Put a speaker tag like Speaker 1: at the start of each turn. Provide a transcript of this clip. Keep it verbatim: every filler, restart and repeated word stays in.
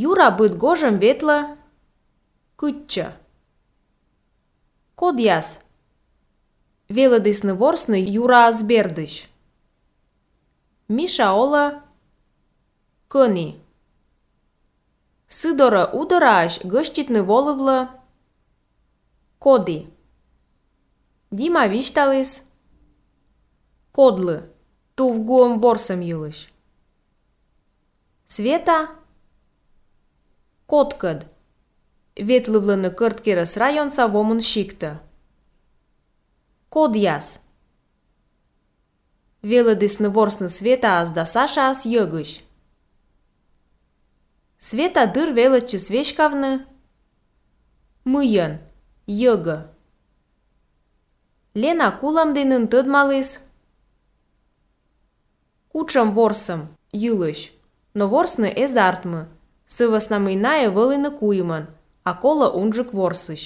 Speaker 1: Юра быт гожым ветле кычча. Код яс. Велыдысны ворсны Юра азбердыш. Миша ола кыни. Сыдора удыраш гыштитны волывлы коди. Дима вишталыс кодлы. Тувгуым ворсым юлыш. Света коткыд. Ветлывлыны кырткерыс районса вомын шикты. Код яс. Велыдысны ворсны Света аз да Саша аз йыгыш. Света дыр велычы свечкавны мыйын, йыгы. Лена кулам денын тыдмалыс кучым ворсым йылыш, но ворсны эзартмы, сывысна мыйнае вылыны куймын, а кола унжык ворсыш.